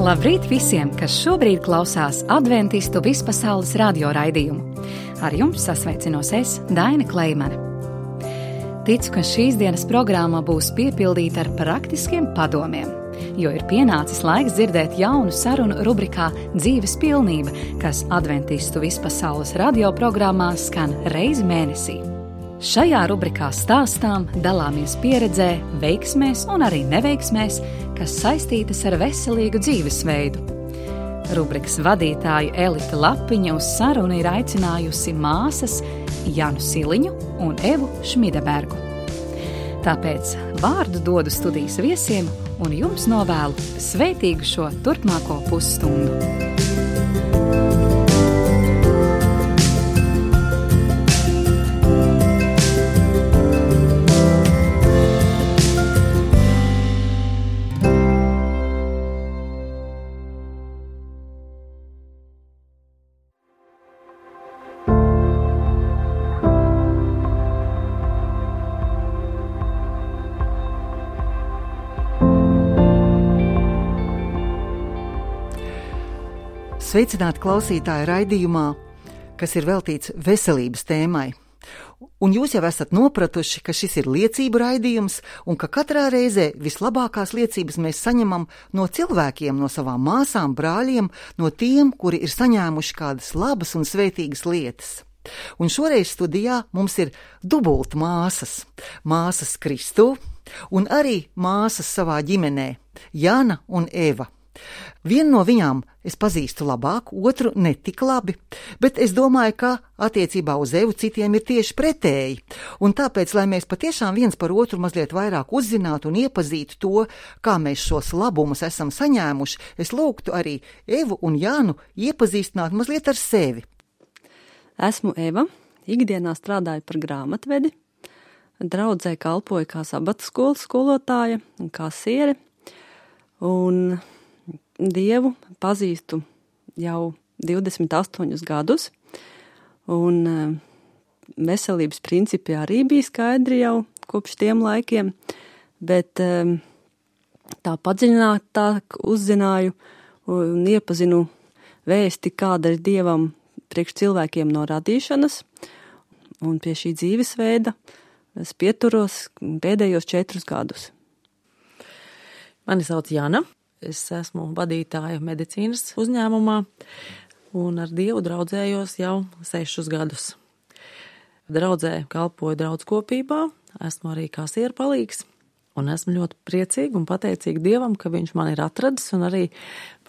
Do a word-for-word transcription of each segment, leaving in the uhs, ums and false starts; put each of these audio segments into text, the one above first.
Labrīt visiem, kas šobrīd klausās Adventistu vispasaules radio raidījumu. Ar jums sasveicinos es, Daina Kleimane. Ticu, ka šīs dienas programma būs piepildīta ar praktiskiem padomiem, jo ir pienācis laiks dzirdēt jaunu sarunu rubrikā Dzīves pilnība, kas Adventistu vispasaules radio programmā skan reizi mēnesī. Šajā rubrikā stāstām, dalāmies pieredzē, veiksmēs un arī neveiksmēs, kas saistītas ar veselīgu dzīvesveidu. Rubrikas vadītāju Elita Lapiņa uz sarunu ir aicinājusi māsas Janu Siliņu un Evu Šmidebergu. Tāpēc vārdu dodu studijas viesiem un jums novēlu svētīgu šo turpmāko pusstundu. Sveicināti klausītāji raidījumā, kas ir veltīts veselības tēmai. Un jūs jau esat nopratuši, ka šis ir liecību raidījums un ka katrā reizē vislabākās liecības mēs saņemam no cilvēkiem, no savām māsām, brāļiem, no tiem, kuri ir saņēmuši kādas labas un svētīgas lietas. Un šoreiz studijā mums ir dubult māsas, māsas Kristū un arī māsas savā ģimenē, Jana un Eva. Vienu no viņām es pazīstu labāk, otru ne tik labi, bet es domāju, ka attiecībā uz Evu citiem ir tieši pretēji. Un tāpēc, lai mēs patiešām viens par otru mazliet vairāk uzzinātu un iepazītu to, kā mēs šos labumus esam saņēmuši, es lūgtu arī Evu un Jānu iepazīstināt mazliet ar sevi. Esmu Eva, ikdienā strādāju par grāmatvedi, draudzē kalpoju kā sabata skolas skolotāja un kā siere, un Dievu pazīstu jau divdesmit astoņus gadus, un veselības principi arī bija skaidri jau kopš tiem laikiem, bet tā padziļinātāk uzzināju un iepazinu vēsti, kāda ir Dievam priekš cilvēkiem no radīšanas, un pie šī dzīvesveida es pieturos pēdējos četrus gadus. Mani sauc Jana. Es esmu vadītāja medicīnas uzņēmumā un ar Dievu draudzējos jau sešus gadus. Draudzē kalpoju draudskopībā, esmu arī kā sierpalīgs un esmu ļoti priecīga un pateicīga Dievam, ka viņš man ir atradis un arī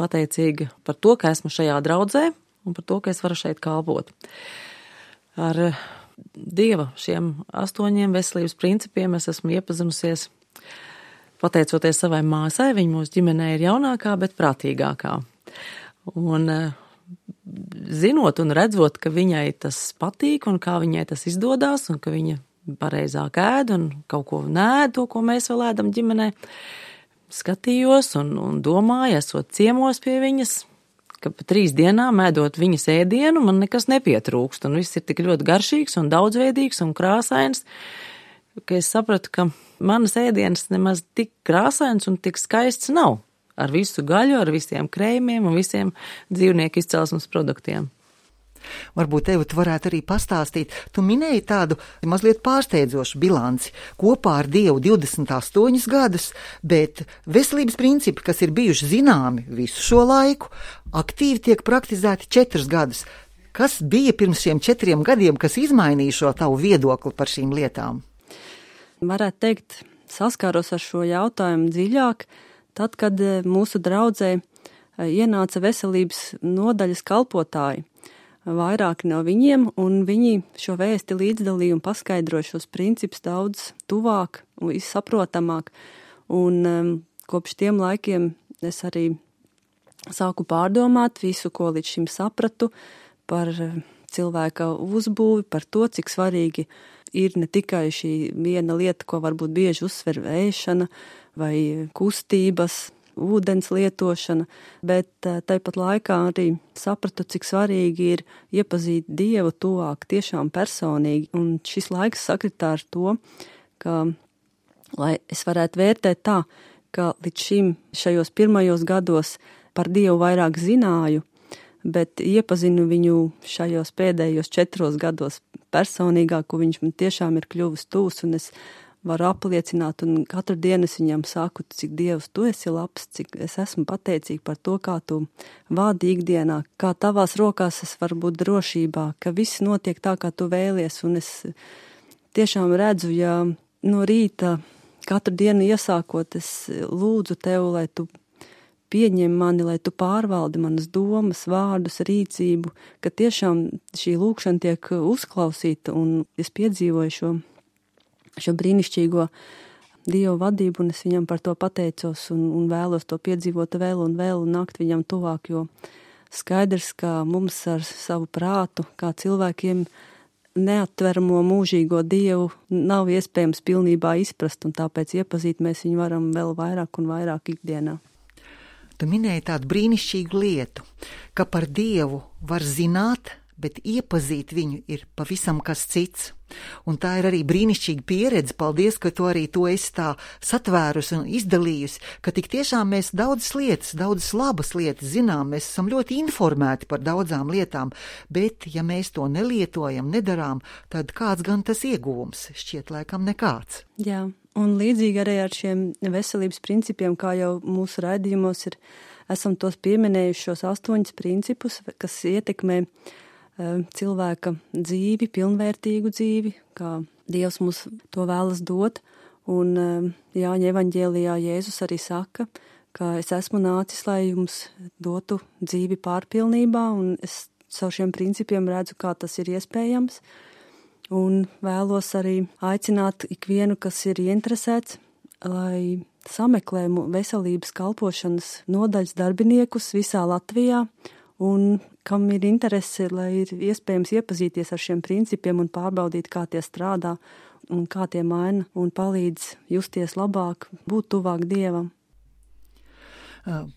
pateicīga par to, ka esmu šajā draudzē un par to, ka es varu šeit kalpot. Ar Dieva šiem astoņiem veselības principiem es esmu iepazinusies pateicoties savai māsai. Viņa mūsu ģimenē ir jaunākā, bet prātīgākā. Un zinot un redzot, ka viņai tas patīk un kā viņai tas izdodās un ka viņa pareizāk ēd un kaut ko nēd, to, ko mēs vēl ēdam ģimenē, skatījos un, un domāju, esot ciemos pie viņas, ka pa trīs dienām ēdot viņas ēdienu, man nekas nepietrūkst un viss ir tik ļoti garšīgs un daudzveidīgs un krāsains, ka es sapratu, ka manas ēdienas nemaz tik krāsains un tik skaists nav. Ar visu gaļu, ar visiem krējumiem un visiem dzīvnieku izcelsmes produktiem. Varbūt, Eva, tu varētu arī pastāstīt. Tu minēji tādu mazliet pārsteidzošu bilanci. Kopā ar Dievu divdesmit astoņus gadus, bet veselības principi, kas ir bijuši zināmi visu šo laiku, aktīvi tiek praktizēti četrus gadus. Kas bija pirms šiem četriem gadiem, kas izmainīja šo tavu viedokli par šīm lietām? Varētu teikt, saskāros ar šo jautājumu dziļāk, tad, kad mūsu draudzē ienāca veselības nodaļas kalpotāji. Vairāki no viņiem, un viņi šo vēsti līdzdalīja un paskaidroja šos principus daudz tuvāk un izsaprotamāk. Un um, kopš tiem laikiem es arī sāku pārdomāt visu, ko līdz šim sapratu par cilvēka uzbūvi, par to, cik svarīgi ir ne tikai šī viena lieta, ko varbūt bieži uzsver ēšana vai kustības, ūdens lietošana, bet tāpat laikā arī sapratu, cik svarīgi ir iepazīt Dievu tuvāk tiešām personīgi. Un šis laiks sakritā ar to, ka, lai es varētu vērtēt tā, ka līdz šim šajos pirmajos gados par Dievu vairāk zināju, bet iepazinu viņu šajos pēdējos četros gados personīgāk, ko viņš man tiešām ir kļuvis tūs, un es varu apliecināt, un katru dienu es viņam saku, cik Dievs tu esi labs, cik es esmu pateicīga par to, kā tu vādi ikdienā, kā tavās rokās es varu būt drošībā, ka viss notiek tā, kā tu vēlies, un es tiešām redzu, ja no rīta katru dienu iesākot, es lūdzu tev, lai tu pieņem mani, lai tu pārvaldi manas domas, vārdus, rīcību, ka tiešām šī lūkšana tiek uzklausīta, un es piedzīvoju šo šo brīnišķīgo Dievu vadību, un es viņam par to pateicos un, un vēlos to piedzīvot vēl un vēl un nākt viņam tuvāk, jo skaidrs, ka mums ar savu prātu, kā cilvēkiem neatveramo mūžīgo Dievu nav iespējams pilnībā izprast, un tāpēc iepazīt mēs viņu varam vēl vairāk un vairāk ikdienā. Tu minēji tādu brīnišķīgu lietu, ka par Dievu var zināt, bet iepazīt viņu ir pavisam kas cits. Un tā ir arī brīnišķīga pieredze. Paldies, ka tu arī to esi tā satvērusi un izdalījusi, ka tik tiešām mēs daudzas lietas, daudzas labas lietas zinām, mēs esam ļoti informēti par daudzām lietām, bet ja mēs to nelietojam, nedarām, tad kāds gan tas ieguvums? Šķiet laikam nekāds. Jā, un līdzīgi arī ar šiem veselības principiem, kā jau mūsu raidījumos ir, esam tos pieminējuši šos astoņus principus, kas ietekmē cilvēka dzīvi, pilnvērtīgu dzīvi, kā Dievs mums to vēlas dot. Un Jāņa evaņģēlijā Jēzus arī saka, ka es esmu nācis, lai jums dotu dzīvi pārpilnībā, un es savu šiem principiem redzu, kā tas ir iespējams. Un vēlos arī aicināt ikvienu, kas ir ieinteresēts, lai sameklē veselības kalpošanas nodaļas darbiniekus visā Latvijā, un kam ir interese, lai ir iespējams iepazīties ar šiem principiem un pārbaudīt, kā tie strādā un kā tie maina un palīdz justies labāk, būt tuvāk Dievam.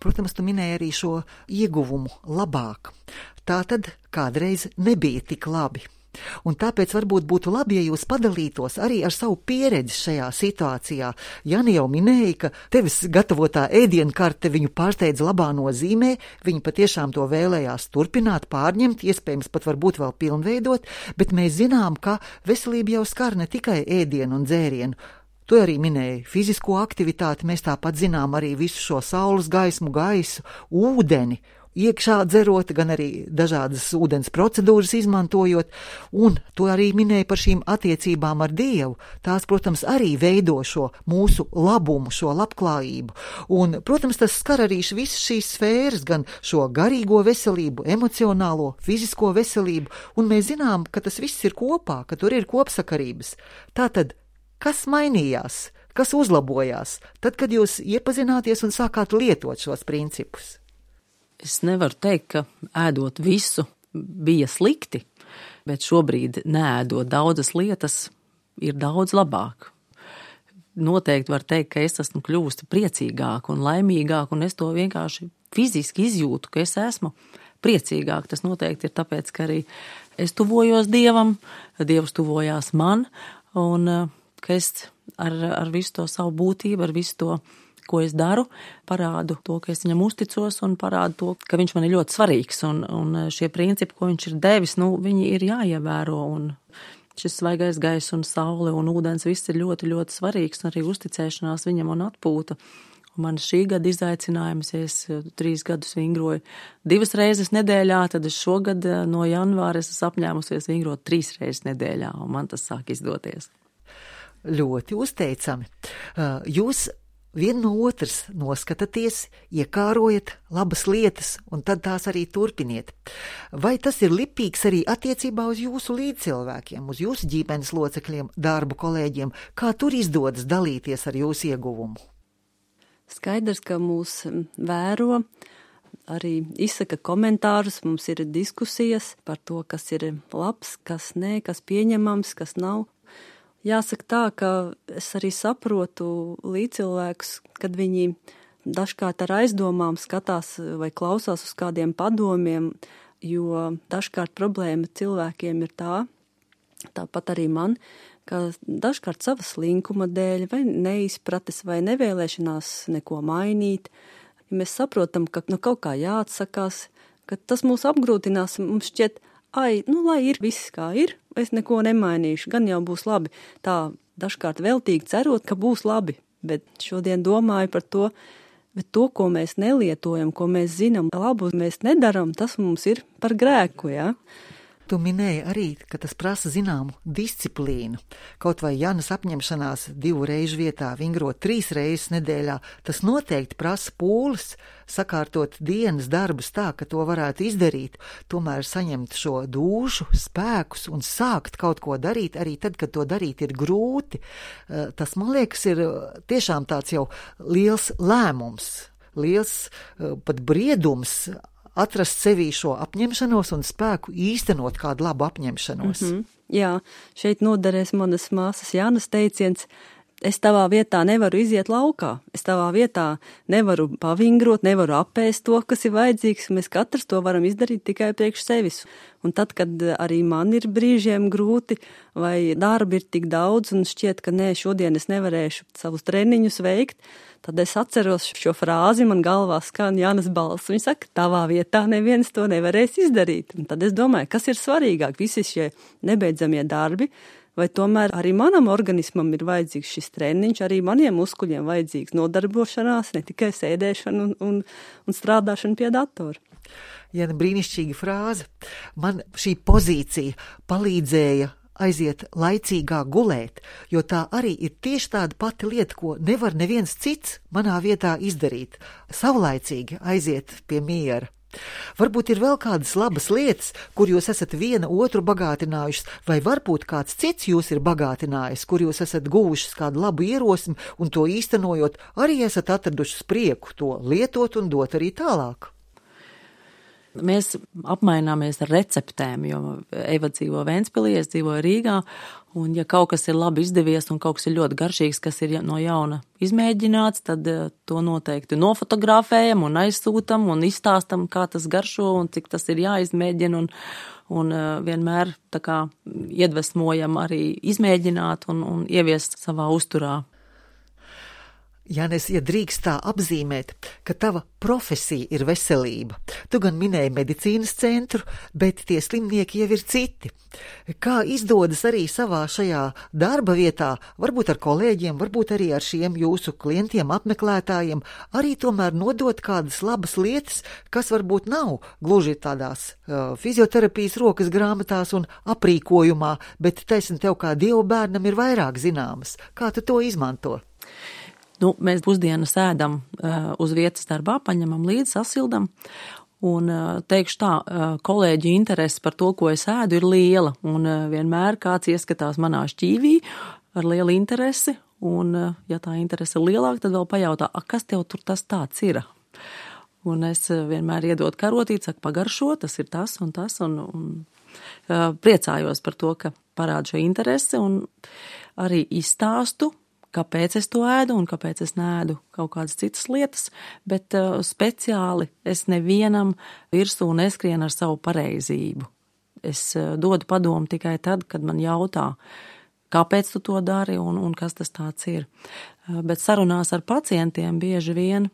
Protams, tu minēji arī šo ieguvumu labāk. Tā tad kādreiz nebija tik labi. Un tāpēc varbūt būtu labi, ja jūs padalītos arī ar savu pieredzi šajā situācijā. Jani jau minēja, ka tevis gatavotā ēdienkarte viņu pārsteidz labā nozīmē, viņi patiešām to vēlējās turpināt, pārņemt, iespējams pat varbūt vēl pilnveidot, bet mēs zinām, ka veselība jau skar ne tikai ēdienu un dzērienu. Tu arī minēji fizisko aktivitāti, mēs tāpat zinām arī visu šo saules gaismu, gaisu, ūdeni, iekšā dzerot, gan arī dažādas ūdens procedūras izmantojot, un to arī minēja par šīm attiecībām ar Dievu. Tās, protams, arī veido šo mūsu labumu, šo labklājību. Un, protams, tas skar arī visas šīs sfēras, gan šo garīgo veselību, emocionālo, fizisko veselību, un mēs zinām, ka tas viss ir kopā, ka tur ir kopsakarības. Tātad, kas mainījās, kas uzlabojās, tad, kad jūs iepazināties un sākāt lietot šos principus? Es nevaru teikt, ka ēdot visu bija slikti, bet šobrīd neēdot daudzas lietas ir daudz labāk. Noteikti var teikt, ka es esmu kļuvusi priecīgāk un laimīgāk, un es to vienkārši fiziski izjūtu, ka es esmu priecīgāk. Tas noteikti ir tāpēc, ka arī es tuvojos Dievam, Dievs tuvojās man, un ka es ar, ar visu to savu būtību, ar visu to, ko es daru, parādu to, ka es viņam uzticos, un parādu to, ka viņš man ir ļoti svarīgs, un, un šie principi, ko viņš ir devis, nu, viņi ir jāievēro, un šis svaigais gaiss un saule un ūdens viss ir ļoti, ļoti svarīgs, un arī uzticēšanās viņam un atpūta. Un man šī gada izaicinājums, ja es trīs gadus vingroju divas reizes nedēļā, tad es šogad no janvāra esmu apņēmusies vingrot trīs reizes nedēļā, un man tas sāk izdoties. Ļoti uzteicami. Jūs vien no otras noskatāties, iekārojat labas lietas, un tad tās arī turpiniet. Vai tas ir lipīgs arī attiecībā uz jūsu līdzcilvēkiem, uz jūsu ģimenes locekļiem, darbu kolēģiem? Kā tur izdodas dalīties ar jūsu ieguvumu? Skaidrs, ka mūs vēro, arī izsaka komentārus, mums ir diskusijas par to, kas ir labs, kas nē, kas pieņemams, kas nav. Jāsaka tā, ka es arī saprotu līdzcilvēkus, kad viņi dažkārt ar aizdomām skatās vai klausās uz kādiem padomiem, jo dažkārt problēma cilvēkiem ir tā, tāpat arī man, ka dažkārt savas linkuma dēļ vai neizprates vai nevēlēšanās neko mainīt, ja mēs saprotam, ka no kaut kā jāatsakās, ka tas mūs apgrūtinās, mums šķiet, ai, nu, lai ir viss kā ir, es neko nemainīšu, gan jau būs labi. Tā dažkārt veltīgi cerot, ka būs labi, bet šodien domāju par to, bet to, ko mēs nelietojam, ko mēs zinām, labu mēs nedaram, tas mums ir par grēku, jā. Tu minēji arī, ka tas prasa zināmu disciplīnu. Kaut vai Janas apņemšanās divu reižu vietā vingrot trīs reizes nedēļā, tas noteikti prasa pūles, sakārtot dienas darbus tā, ka to varētu izdarīt, tomēr saņemt šo dūšu, spēkus un sākt kaut ko darīt, arī tad, kad to darīt ir grūti. Tas, man liekas, ir tiešām tāds jau liels lēmums, liels pat briedums, atrast sevī šo apņemšanos un spēku īstenot kādu labu apņemšanos. Mm-hmm. Jā, šeit noderēs manas māsas Jānas teiciens, es tavā vietā nevaru iziet laukā, es tavā vietā nevaru pavingrot, nevaru apēst to, kas ir vajadzīgs, mēs katrs to varam izdarīt tikai priekš sevis. Un tad, kad arī man ir brīžiem grūti vai darbi ir tik daudz un šķiet, ka nē, šodien es nevarēšu savus treniņus veikt, tad es atceros šo frāzi, man galvā skan Jānas balss. Viņa saka, tavā vietā neviens to nevarēs izdarīt. Un tad es domāju, kas ir svarīgāk, visi šie nebeidzamie darbi, vai tomēr arī manam organismam ir vajadzīgs šis treniņš, arī maniem muskuļiem vajadzīgs nodarbošanās, ne tikai sēdēšana un, un, un strādāšana pie datora. Ja brīnišķīga frāze. Man šī pozīcija palīdzēja aiziet laicīgā gulēt, jo tā arī ir tieši tāda pati lieta, ko nevar neviens cits manā vietā izdarīt. Savlaicīgi aiziet pie miera. Varbūt ir vēl kādas labas lietas, kur jūs esat viena otru bagātinājušas, vai varbūt kāds cits jūs ir bagātinājis, kur jūs esat guvušas kādu labu ierosmi un to īstenojot, arī esat atradušas prieku to lietot un dot arī tālāk. Mēs apmaināmies ar receptēm, jo Eva dzīvo Ventspilī, es dzīvoju Rīgā, un ja kaut kas ir labi izdevies un kaut kas ir ļoti garšīgs, kas ir no jauna izmēģināts, tad to noteikti nofotografējam un aizsūtam un izstāstam, kā tas garšo un cik tas ir jāizmēģina, un, un vienmēr tā kā iedvesmojam arī izmēģināt un, un ieviest savā uzturā. Jānis, ja drīkst tā apzīmēt, ka tava profesija ir veselība. Tu gan minēji medicīnas centru, bet tie slimnieki jau ir citi. Kā izdodas arī savā šajā darba vietā, varbūt ar kolēģiem, varbūt arī ar šiem jūsu klientiem, apmeklētājiem, arī tomēr nodot kādas labas lietas, kas varbūt nav gluži tādās uh, fizioterapijas rokas grāmatās un aprīkojumā, bet taisn tev kā dievu bērnam ir vairāk zināmas. Kā tu to izmanto? Nu, mēs pusdienas ēdam uh, uz vietas darbā, paņemam līdzi, sasildam, un uh, teikšu tā, uh, kolēģi interesi par to, ko es ēdu, ir liela, un uh, vienmēr kāds ieskatās manā šķīvī ar lielu interesi, un uh, ja tā interese ir lielāka, tad vēl pajautā, a, kas tev tur tas tāds ir? Un es uh, vienmēr iedot karotīt, saku, pagaršo, tas ir tas un tas, un, un uh, priecājos par to, ka parāda šo interesi, un arī izstāstu, kāpēc es to ēdu un kāpēc es neēdu kaut kādas citas lietas, bet uh, speciāli es nevienam virsū neskrienu ar savu pareizību. Es uh, dodu padomu tikai tad, kad man jautā, kāpēc tu to dari un, un kas tas tāds ir. Uh, bet sarunās ar pacientiem bieži vien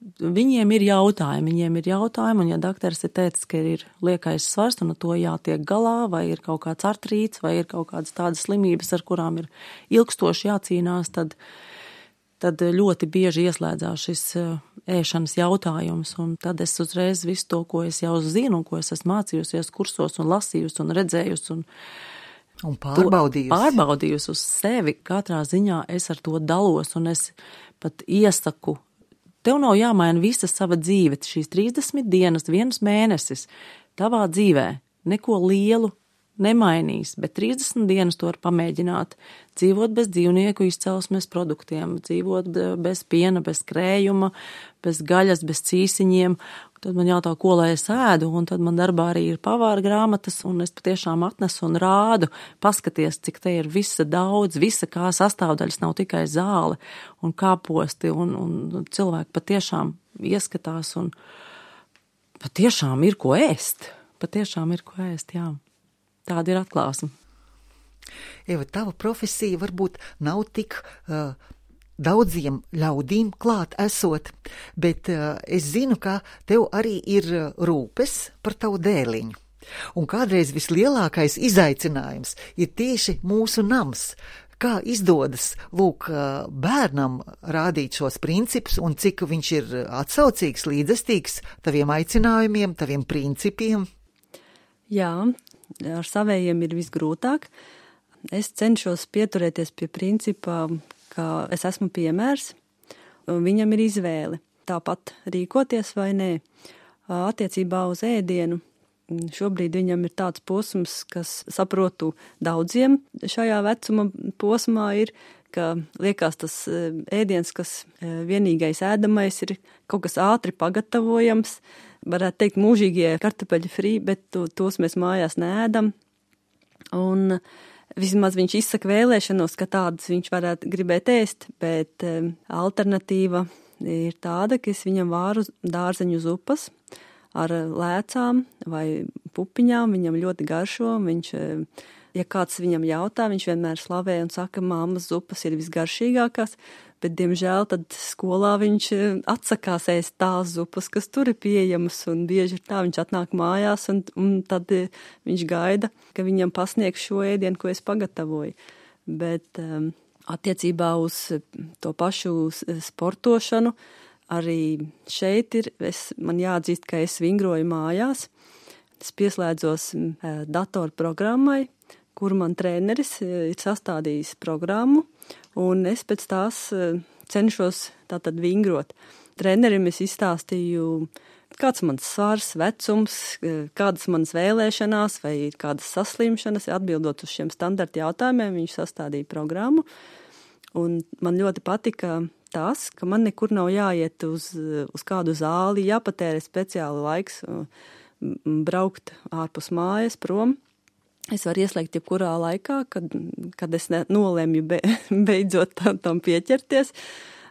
viņiem ir jautājumi, viņiem ir jautājumi, un ja dakteris ir teicis, ka ir liekais svars un ar to jātiek galā, vai ir kaut kāds artrīts, vai ir kaut kādas tādas slimības, ar kurām ir ilgstoši jācīnās, tad, tad ļoti bieži ieslēdzās šis ēšanas jautājums, un tad es uzreiz visu to, ko es jau zinu, un ko es esmu mācījusies kursos un lasījusi un redzējusi, un Un pārbaudījusi. Pārbaudījusi uz sevi, katrā ziņā es ar to dalos, un es pat iesaku, tev nav jāmaina visa sava dzīve, šīs trīsdesmit dienas, viens mēnesis, tavā dzīvē neko lielu nemainīs, bet trīsdesmit dienas to var pamēģināt, dzīvot bez dzīvnieku izcelsmes produktiem, dzīvot bez piena, bez krējuma, bez gaļas, bez cīsiņiem. Tad man jautā, ko lai es ēdu, un tad man darbā arī ir pavāra grāmatas, un es patiešām atnesu un rādu, paskaties, cik te ir visa daudz, visa kā sastāvdaļas, nav tikai zāle un kāposti, un, un cilvēki patiešām ieskatās, un patiešām ir ko ēst, patiešām ir ko ēst, jā. Tāda ir atklāsme. Eva, tava profesija varbūt nav tik uh, daudziem ļaudīm klāt esot, bet uh, es zinu, ka tev arī ir rūpes par tavu dēliņu. Un kādreiz vislielākais izaicinājums ir tieši mūsu nams. Kā izdodas, lūk, bērnam rādīt šos principus un cik viņš ir atsaucīgs, līdzestīgs taviem aicinājumiem, taviem principiem? Jā, ar savējiem ir visgrūtāk. Es cenšos pieturēties pie principā, ka es esmu piemērs, un viņam ir izvēle tāpat rīkoties vai nē. Attiecībā uz ēdienu šobrīd viņam ir tāds posms, kas saprotu daudziem šajā vecuma posmā ir, ka liekas tas ēdiens, kas vienīgais ēdamais ir kaut kas ātri pagatavojams, varētu teikt mūžīgie kartupeļu frī, bet to, tos mēs mājās neēdam. Un vismaz viņš izsaka vēlēšanos, ka tādas viņš varētu gribēt ēst, bet alternatīva ir tāda, ka es viņam vāru dārzeņu zupas ar lēcām vai pupiņām, viņam ļoti garšo, viņš, ja kāds viņam jautā, viņš vienmēr slavē un saka, mammas zupas ir visgaršīgākās, bet, diemžēl, tad skolā viņš atsakās ēst tās zupas, kas tur ir pieejamas, un bieži ir tā, viņš atnāk mājās, un, un tad viņš gaida, ka viņam pasniegs šo ēdienu, ko es pagatavoju. Bet um, attiecībā uz to pašu sportošanu, arī šeit ir, es, man jāatzīst, ka es vingroju mājās, es pieslēdzos uh, datorprogrammai, kur man treneris ir sastādījis programmu, un es pēc tās cenšos tātad vingrot. Trenerim es izstāstīju, kāds mans svars, vecums, kādas manas vēlēšanās vai kādas saslimšanas, atbildot uz šiem standarta jautājumiem, viņš sastādīja programmu, un man ļoti patika tas, ka man nekur nav jāiet uz, uz kādu zāli, jāpatērē speciāli laiks, braukt ārpus mājas prom. Es varu ieslēgt jebkurā laikā, kad, kad es ne, nolemju be, beidzot tam, tam pieķerties.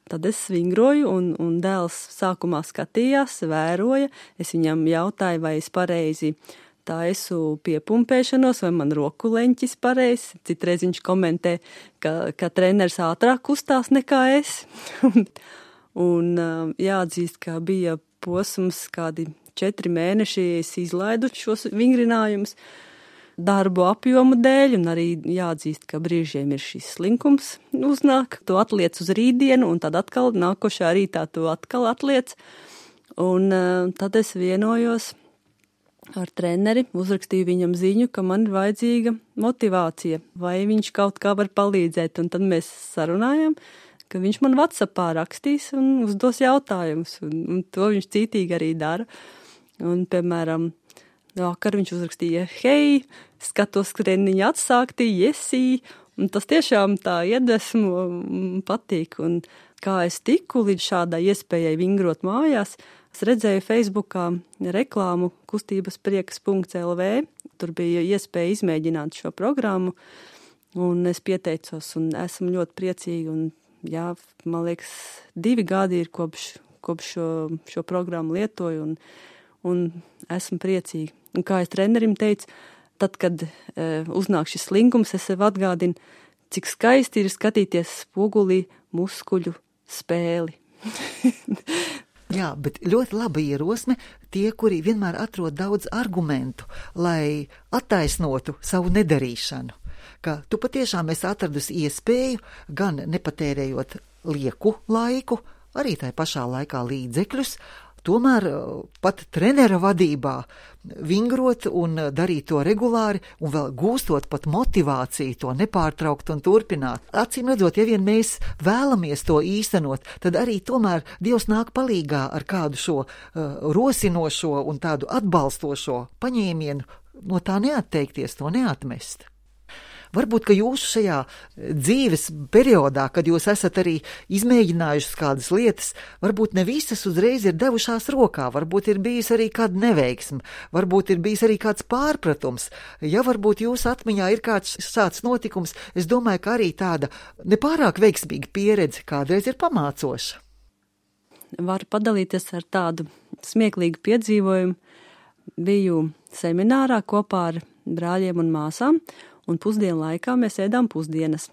Tad es vingroju, un, un dēls sākumā skatījās, vēroja. Es viņam jautāju, vai es pareizi taisu piepumpēšanos, vai man roku leņķis pareizi. Citreiz viņš komentē, ka, ka treneris ātrāk kustās nekā es. Un jāatzīst, ka bija posms kādi četri mēneši, es izlaidu šos vingrinājumus darbu apjomu dēļ, un arī jāatzīst, ka brīžiem ir šis slinkums uznāk. To atliec uz rītdienu, un tad atkal nākošā rītā to atkal atliec. Un uh, tad es vienojos ar treneri, uzrakstīju viņam ziņu, ka man ir vajadzīga motivācija, vai viņš kaut kā var palīdzēt. Un tad mēs sarunājam, ka viņš man WhatsAppā rakstīs un uzdos jautājumus, un, un to viņš cītīgi arī dara. Un, piemēram, vakar viņš uzrakstīja, hei, skatos treniņu atsākti, jesī, un tas tiešām tā iedvesmo patīk. Un kā es tiku līdz šādai iespējai vingrot mājās, es redzēju Facebookā reklāmu kustības priekas punkts el vē, tur bija iespēja izmēģināt šo programmu, un es pieteicos, un esmu ļoti priecīga, un jā, man liekas, divi gadi ir kopš, kopš šo, šo programmu lietoju, un, un esmu priecīga. Un kā es trenerim teicu, tad, kad e, uznāk šis slinkums, es sev atgādinu, cik skaisti ir skatīties spogulī muskuļu spēli. Jā, bet ļoti laba ierosme tie, kuri vienmēr atrod daudz argumentu, lai attaisnotu savu nedarīšanu. Ka tu patiešām esi atradusi iespēju, gan nepatērējot lieku laiku, arī tai pašā laikā līdzekļus, tomēr pat trenera vadībā vingrot un darīt to regulāri un vēl gūstot pat motivāciju to nepārtraukt un turpināt. Acīm redzot, ja vien mēs vēlamies to īstenot, tad arī tomēr Dievs nāk palīgā ar kādu šo uh, rosinošo un tādu atbalstošo paņēmienu no tā neatteikties, to neatmest. Varbūt, ka jūsu šajā dzīves periodā, kad jūs esat arī izmēģinājušas kādas lietas, varbūt ne visas uzreiz ir devušās rokā, varbūt ir bijis arī kāda neveiksme, varbūt ir bijis arī kāds pārpratums. Ja varbūt jūsu atmiņā ir kāds šāds notikums, es domāju, ka arī tāda nepārāk veiksmīga pieredze kādreiz ir pamācoša. Varu padalīties ar tādu smieklīgu piedzīvojumu. Biju seminārā kopā ar brāļiem un māsām, un pusdienu laikā mēs ēdām pusdienas.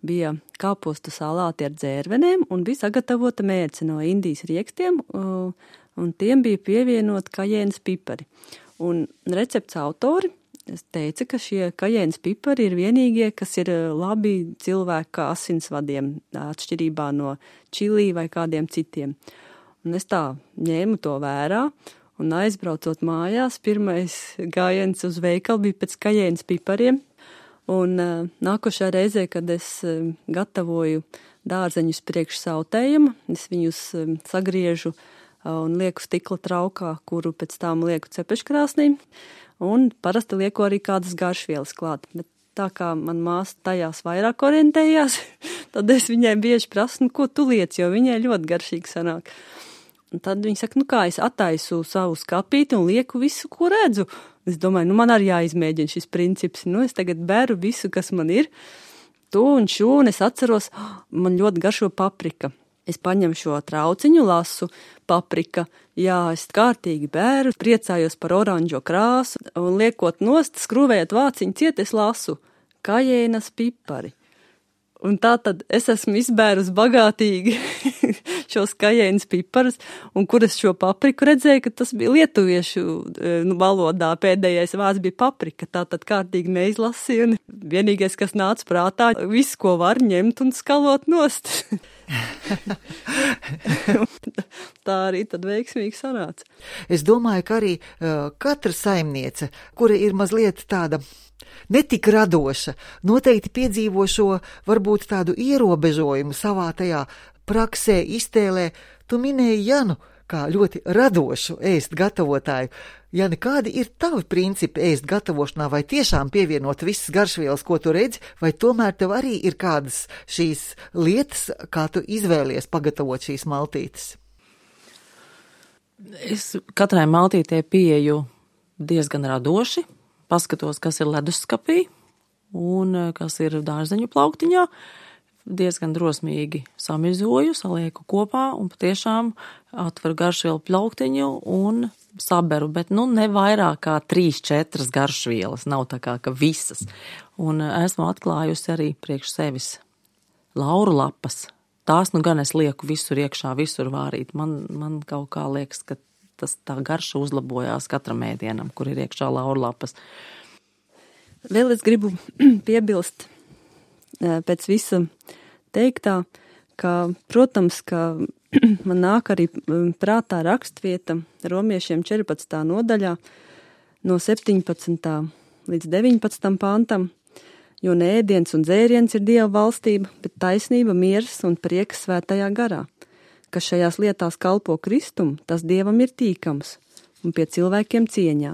bija kāpostu salāti ar dzērvenēm un bija sagatavota mērce no Indijas riekstiem, un tiem bija pievienot kajēnas pipari. Un recepts autori teica, ka šie kajēnas pipari ir vienīgie, kas ir labi cilvēka asinsvadiem, atšķirībā no čilī vai kādiem citiem. Un es tā ņēmu to vērā, un aizbraucot mājās, pirmais gājiens uz veikalu bija pēc kajēnas pipariem. Un uh, nākošā reizē, kad es uh, gatavoju dārzeņus priekš sautējuma, es viņus uh, sagriežu uh, un lieku stikla traukā, kuru pēc tām lieku cepeškrāsnī, un parasti lieku arī kādas garšvielas klāt. Bet tā kā man māsa tajās vairāk orientējās, tad es viņai bieži prasu, nu, ko tu liec, jo viņai ļoti garšīgi sanāk. Un tad viņa saka, nu kā, es attaisu savu skapīti un lieku visu, ko redzu. Es domāju, nu man arī jāizmēģina šis princips. Nu es tagad beru visu, kas man ir. To un šo, un es atceros, man ļoti garšo paprika. Es paņemu šo trauciņu, lasu paprika. Jā, es kārtīgi bēru, priecājos par oranžo krāsu, un liekot nost, skrūvējot vāciņu ciet, es lasu kajēnas pipari. Un tā tad es esmu izbērus bagātīgi šos kajēnas piparus, un kur es šo papriku redzēju, ka tas bija lietuviešu nu, valodā, pēdējais vārds bija paprika, tā tad kārtīgi neizlasīju, un vienīgais, kas nāca prātā, visu, ko var ņemt un skalot nost. Tā arī tad veiksmīgi sanāca. Es domāju, ka arī uh, katra saimniece, kura ir mazliet tāda netik radoša, noteikti piedzīvo šo varbūt tādu ierobežojumu savā tajā praksē, iztēlē. Tu minēji Janu kā ļoti radošu ēst gatavotāju. Jani, kādi ir tavi principi ēst gatavošanā, vai tiešām pievienot visas garšvielas, ko tu redzi, vai tomēr tev arī ir kādas šīs lietas, kā tu izvēlies pagatavot šīs maltītes? Es katrai maltītei pieeju diezgan radoši. Paskatos, kas ir leduskapī un kas ir dārzeņu plauktiņā. Diezgan drosmīgi samizoju, salieku kopā un patiešām atveru garšvielu plauktiņu un saberu, bet nu ne vairāk kā trīs, četras garšvielas, nav tā kā, ka visas. Un esmu atklājusi arī priekš sevis lauru lapas. Tās nu gan es lieku visur iekšā, visur vārīt. Man, man kaut kā liekas, ka tas tā garša uzlabojās katram ēdienam, kur ir iekšā laurlapas. Vēl es gribu piebilst pēc visa teiktā, ka, protams, ka man nāk arī prātā rakstvieta romiešiem četrpadsmitā nodaļā no septiņpadsmitā līdz deviņpadsmitam pantam, jo ne ēdiens un dzēriens ir Dieva valstība, bet taisnība, miers un prieks svētajā garā. Kas šajās lietās kalpo Kristum, tas Dievam ir tīkams un pie cilvēkiem cieņā.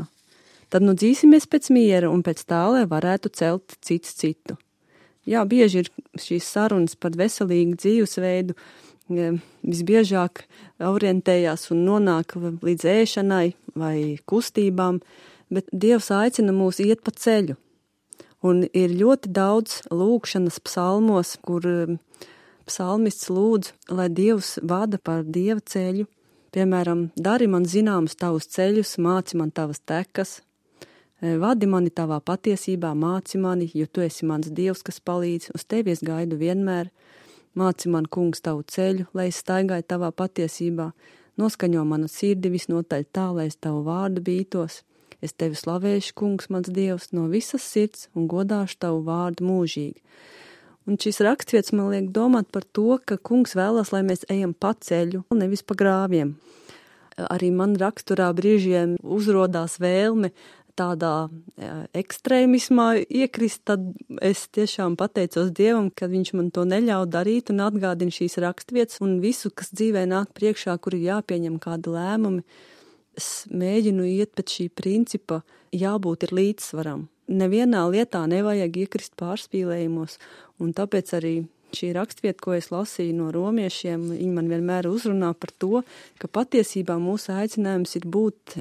Tad nu dzīsimies pēc miera un pēc tā, lai varētu celt cits citu. Jā, bieži ir šīs sarunas par veselīgu dzīvesveidu, visbiežāk orientējās un nonāk līdz ēšanai vai kustībām, bet Dievs aicina mūs iet pa ceļu. Un ir ļoti daudz lūgšanas psalmos, kur psalmists lūdz, lai Dievs vada par Dieva ceļu. Piemēram, dari man zināmus tavus ceļus, māci man tavas tekas, vadi mani tavā patiesībā, māci mani, jo tu esi mans Dievs, kas palīdz, uz tevi es gaidu vienmēr. Māci man, kungs, tavu ceļu, lai es staigāju tavā patiesībā, noskaņo manu sirdi visnotaļ tā, lai es tavu vārdu bītos. Es tevi slavēšu, kungs, mans Dievs, no visas sirds un godāšu tavu vārdu mūžīgi. Un šis rakstvietas man liek domāt par to, ka kungs vēlas, lai mēs ejam pa ceļu, nevis pa grāviem. Arī man raksturā brīžiem uzrodās vēlme tādā ekstrēmismā iekrist, tad es tiešām pateicos Dievam, ka viņš man to neļauj darīt un atgādina šīs rakstvietas un visu, kas dzīvē nāk priekšā, kur ir jāpieņem kādi lēmumi. Es mēģinu iet pēc šī principa, jābūt ir līdzsvaram. Nevienā lietā nevajag iekrist pārspīlējumos, un tāpēc arī šī rakstvieta, ko es lasīju no romiešiem, viņi man vienmēr uzrunā par to, ka patiesībā mūsu aicinājums ir būt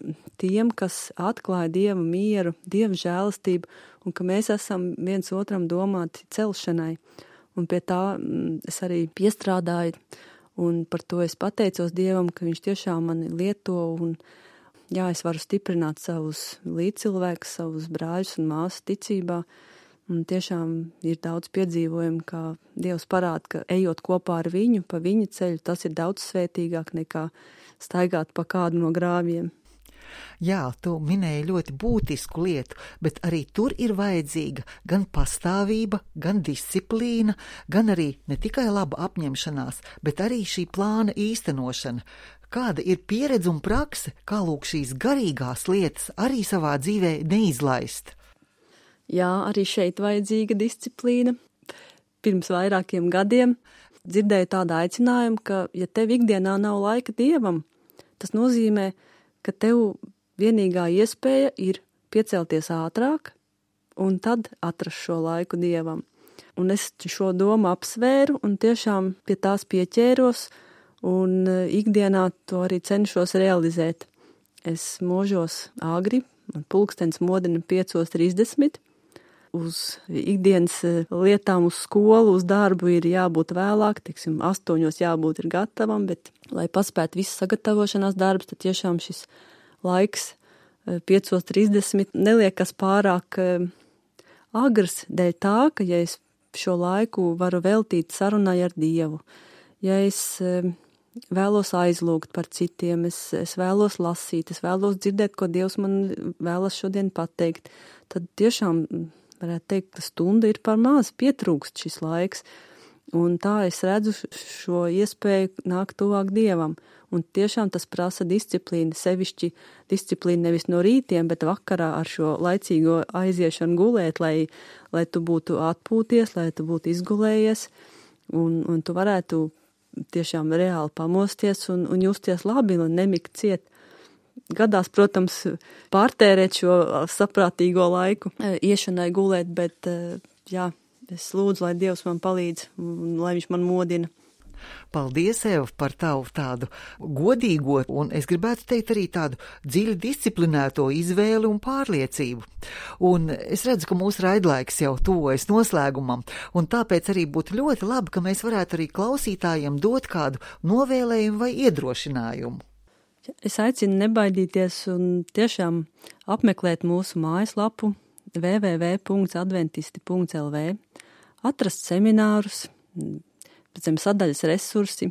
tiem, kas atklāja Dieva mieru, Dieva žēlastību, un ka mēs esam viens otram domāti celšanai. Un pie tā es arī piestrādāju, un par to es pateicos Dievam, ka viņš tiešām mani lieto, un jā, es varu stiprināt savus līdzcilvēkus, savus brāļus un māsas ticībā, Un tiešām ir daudz piedzīvojumu, kā Dievs parāda, ka ejot kopā ar viņu, pa viņa ceļu, tas ir daudz svētīgāk nekā staigāt pa kādu no grāviem. Jā, tu minēji ļoti būtisku lietu, bet arī tur ir vajadzīga gan pastāvība, gan disciplīna, gan arī ne tikai laba apņemšanās, bet arī šī plāna īstenošana. Kāda ir pieredze un prakse, kā lūk šīs garīgās lietas arī savā dzīvē neizlaist? Jā, arī šeit vajadzīga disciplīna. Pirms vairākiem gadiem dzirdēju tādu aicinājumu, ka, ja tev ikdienā nav laika Dievam, tas nozīmē, ka tev vienīgā iespēja ir piecelties ātrāk un tad atrast šo laiku Dievam. Un es šo domu apsvēru un tiešām pie tās pieķēros un ikdienā to arī cenšos realizēt. Es možos agri, man pulkstens modina piecos trīsdesmit. Uz ikdienas lietām, uz skolu, uz darbu ir jābūt vēlāk, teiksim, astoņos jābūt ir gatavam, bet, lai paspētu visu sagatavošanās darbus, tad tiešām šis laiks piecos trīsdesmit neliekas pārāk agrs dēļ tā, ka, ja es šo laiku varu veltīt sarunai ar Dievu, ja es vēlos aizlūgt par citiem, es, es vēlos lasīt, es vēlos dzirdēt, ko Dievs man vēlas šodien pateikt, tad tiešām varētu teikt, ka stunda ir par maz, pietrūkst šis laiks. Un tā es redzu šo iespēju nākt tuvāk Dievam. Un tiešām tas prasa disciplīnu, sevišķi disciplīnu nevis no rītiem, bet vakarā ar šo laicīgo aiziešanu gulēt, lai, lai tu būtu atpūties, lai tu būtu izgulējies un, un tu varētu tiešām reāli pamosties un, un justies labi un nemikt ciet. Gadās, protams, pārtērēt šo saprātīgo laiku iešanai gulēt, bet jā, es lūdzu, lai Dievs man palīdz un lai viņš man modina. Paldies, Eva, par tavu tādu godīgo un, es gribētu teikt, arī tādu dziļi disciplinēto izvēli un pārliecību. Un es redzu, ka mūsu raidlaiks jau tuvojas noslēgumam, un tāpēc arī būtu ļoti labi, ka mēs varētu arī klausītājiem dot kādu novēlējumu vai iedrošinājumu. Es aicinu nebaidīties un tiešām apmeklēt mūsu mājaslapu w w w punkts adventisti punkts l v, atrast seminārus, pēc tam sadaļas resursi.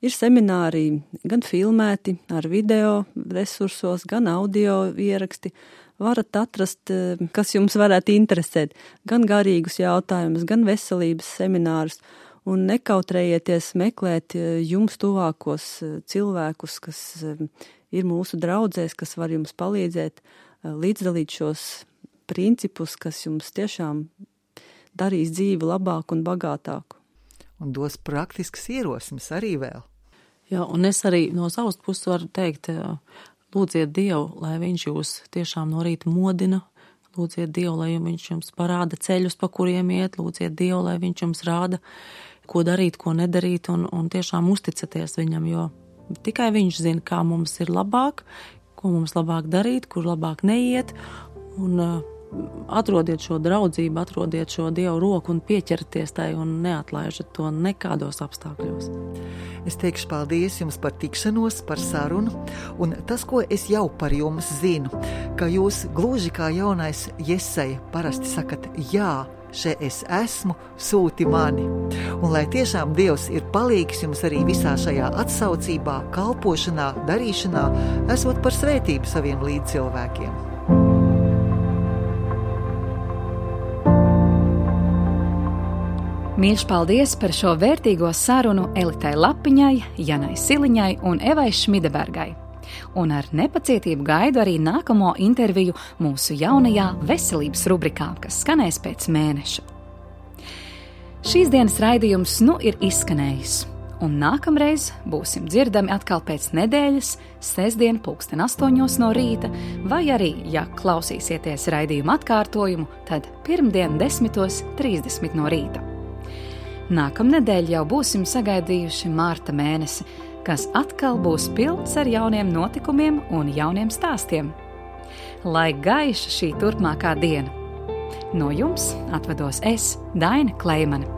Ir semināri gan filmēti ar video resursos, gan audio ieraksti. Varat atrast, kas jums varētu interesēt, gan garīgus jautājumus, gan veselības seminārus. Un nekautrējieties meklēt jums tuvākos cilvēkus, kas ir mūsu draudzēs, kas var jums palīdzēt līdzdalīt šos principus, kas jums tiešām darīs dzīvi labāku un bagātāku. Un dos praktiskas ierosmes arī vēl. Jā, un es arī no savas puses varu teikt, lūdziet Dievu, lai viņš jūs tiešām no rīta modina, lūdziet Dievu, lai viņš jums parāda ceļus, pa kuriem iet, lūdziet Dievu, lai viņš jums rāda, ko darīt, ko nedarīt, un, un tiešām uzticaties viņam, jo tikai viņš zina, kā mums ir labāk, ko mums labāk darīt, kur labāk neiet, un uh, atrodiet šo draudzību, atrodiet šo Dievu roku un pieķerties tai un neatlaižat to nekādos apstākļos. Es teikšu paldies jums par tikšanos, par sarunu, un tas, ko es jau par jums zinu, ka jūs gluži kā jaunais Jesaja parasti sakat, jā, še es esmu, sūti mani. Un lai tiešām Dievs ir palīgs jums arī visā šajā atsaucībā, kalpošanā, darīšanā, esot par svētību saviem līdzcilvēkiem. Mīļš paldies par šo vērtīgo sarunu Elitai Lapiņai, Janai Siliņai un Evai Šmidebergai. Un ar nepacietību gaidu arī nākamo interviju mūsu jaunajā veselības rubrikā, kas skanēs pēc mēneša. Šīs dienas raidījums nu ir izskanējis, un nākamreiz būsim dzirdami atkal pēc nedēļas, sestdien pulksten astoņos no rīta, vai arī, ja klausīsieties raidījuma atkārtojumu, tad pirmdien desmitos trīsdesmit no rīta. Nākamnedēļ jau būsim sagaidījuši mārta mēnesi, kas atkal būs pilns ar jauniem notikumiem un jauniem stāstiem. Lai gaiša šī turpmākā diena! No jums atvados es, Daina Kleimane.